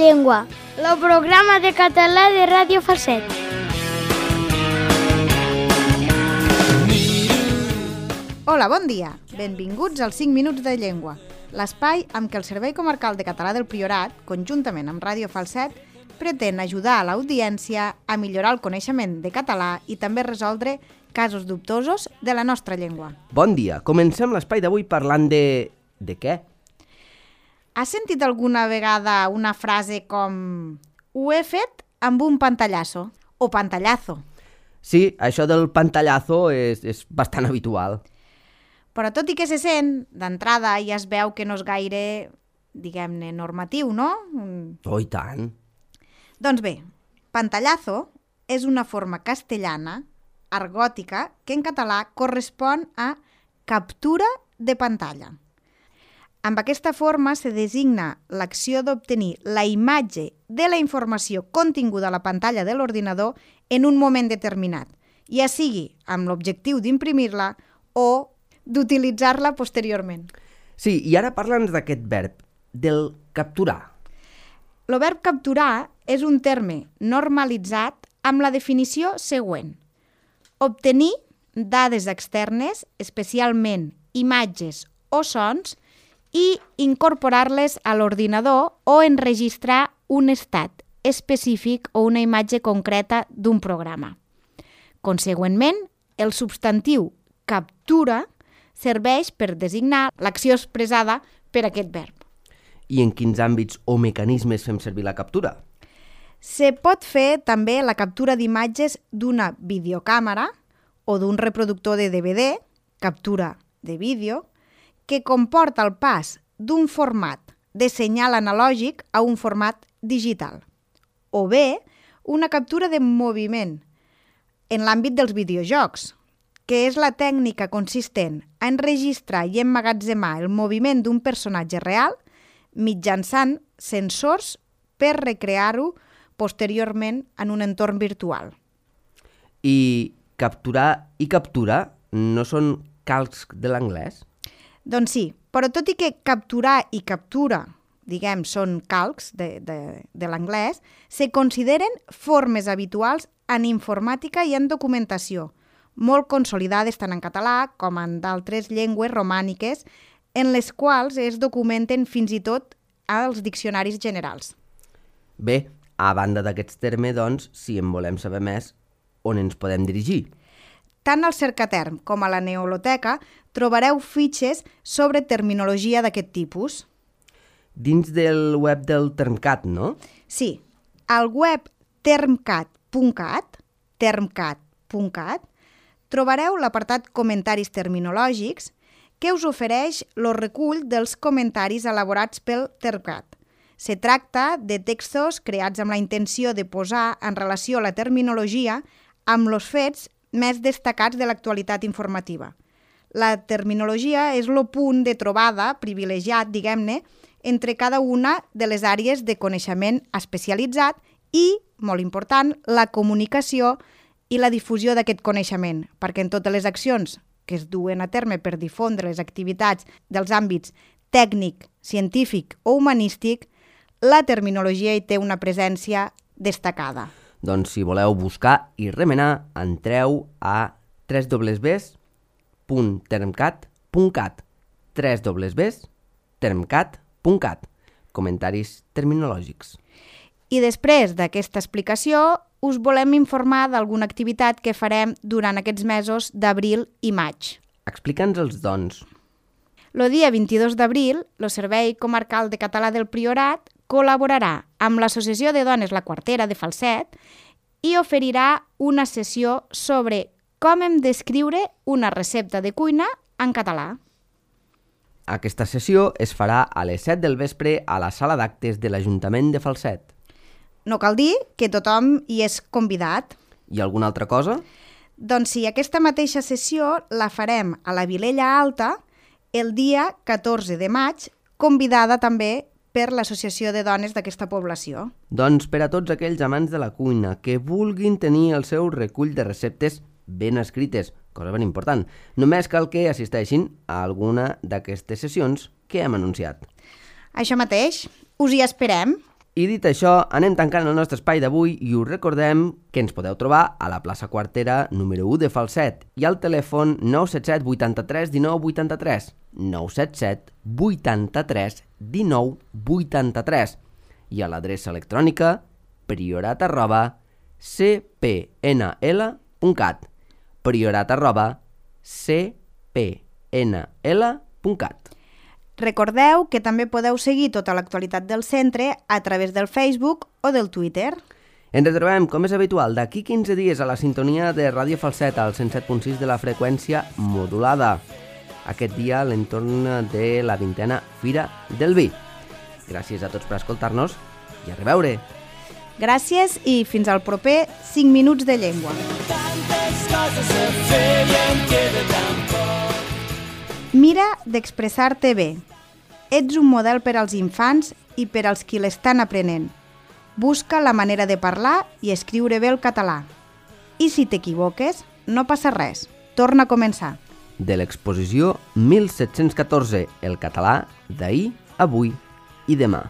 llengua, el programa de català de Ràdio Falset. Hola, bon dia. Benvinguts als 5 minuts de llengua, l'espai amb què el Servei Comarcal de Català del Priorat, conjuntament amb Ràdio Falset, pretén ajudar a l'audiència a millorar el coneixement de català i també resoldre casos dubtosos de la nostra llengua. Bon dia. Comencem l'espai d'avui parlant de... De què? Has sentit alguna vegada una frase com «Ho he fet amb un pantallazo» o «pantallazo»? Sí, això del pantallazo és bastant habitual. Però tot i que se sent, d'entrada ja es veu que no és gaire, diguem-ne, normatiu, no? Oh, i tant. Doncs bé, pantallazo és una forma castellana, argòtica, que en català correspon a captura de pantalla. Amb aquesta forma se designa l'acció d'obtenir la imatge de la informació continguda a la pantalla de l'ordinador en un moment determinat, ja sigui amb l'objectiu d'imprimir-la o d'utilitzar-la posteriorment. Sí, i ara parla'ns d'aquest verb, del capturar. El verb capturar és un terme normalitzat amb la definició següent. Obtenir dades externes, especialment imatges o sons, i incorporar-les a l'ordinador o enregistrar un estat específic o una imatge concreta d'un programa. Consegüentment, el substantiu captura serveix per designar l'acció expressada per aquest verb. I en quins àmbits o mecanismes fem servir la captura? Se pot fer també la captura d'imatges d'una videocàmera o d'un reproductor de DVD, captura de vídeo, que comporta el pas d'un format de senyal analògic a un format digital. O bé, una captura de moviment en l'àmbit dels videojocs, que és la tècnica consistent a enregistrar i emmagatzemar el moviment d'un personatge real mitjançant sensors per recrear-ho posteriorment en un entorn virtual. I capturar i captura no són calcs de l'anglès? Doncs sí, però tot i que capturar i captura, diguem, són calcs de l'anglès, se consideren formes habituals en informàtica i en documentació, molt consolidades tant en català com en d'altres llengües romàniques, en les quals es documenten fins i tot als diccionaris generals. Bé, a banda d'aquests termes, doncs, si en volem saber més, on ens podem dirigir? Tant al Cercaterm com a la Neoloteca trobareu fitxes sobre terminologia d'aquest tipus. Dins del web del Termcat, no? Sí, al web termcat.cat, trobareu l'apartat Comentaris terminològics, que us ofereix el recull dels comentaris elaborats pel Termcat. Se tracta de textos creats amb la intenció de posar en relació la terminologia amb els fets més destacats de l'actualitat informativa. La terminologia és el punt de trobada privilegiat, diguem-ne, entre cada una de les àrees de coneixement especialitzat i, molt important, la comunicació i la difusió d'aquest coneixement, perquè en totes les accions que es duen a terme per difondre les activitats dels àmbits tècnic, científic o humanístic, la terminologia hi té una presència destacada. Doncs si voleu buscar i remenar, entreu a www.termcat.cat, www.termcat.cat, comentaris terminològics. I després d'aquesta explicació, us volem informar d'alguna activitat que farem durant aquests mesos d'abril i maig. Explica'ns-els, doncs. El dia 22 d'abril, el Servei Comarcal de Català del Priorat col·laborarà amb l'Associació de Dones La Quartera de Falset i oferirà una sessió sobre com hem d'escriure una recepta de cuina en català. Aquesta sessió es farà a les 7 del vespre a la sala d'actes de l'Ajuntament de Falset. No cal dir que tothom hi és convidat. I alguna altra cosa? Doncs sí, aquesta mateixa sessió la farem a la Vilella Alta el dia 14 de maig, convidada també per l'Associació de Dones d'aquesta població. Doncs per a tots aquells amants de la cuina que vulguin tenir el seu recull de receptes ben escrites, cosa ben important, només cal que assisteixin a alguna d'aquestes sessions que hem anunciat. Això mateix, us hi esperem. I dit això, anem tancant el nostre espai d'avui i us recordem que ens podeu trobar a la plaça Quartera número 1 de Falset i al telèfon 977 83 19 83, 977 83 19 83 i a l'adreça electrònica priorat@cpnl.cat, priorat@cpnl.cat. Recordeu que també podeu seguir tota l'actualitat del centre a través del Facebook o del Twitter. Ens retrobem, com és habitual, d'aquí 15 dies a la sintonia de Ràdio Falset al 107.6 de la freqüència modulada. Aquest dia a l'entorn de la 20a Fira del Vi. Gràcies a tots per escoltar-nos i a reveure. Gràcies i fins al proper 5 minuts de llengua. Mira d'expressar-te bé. Ets un model per als infants i per als qui l'estan aprenent. Busca la manera de parlar i escriure bé el català. I si t'equivoques, no passa res. Torna a començar. De l'exposició 1714, el català d'ahir, avui i demà.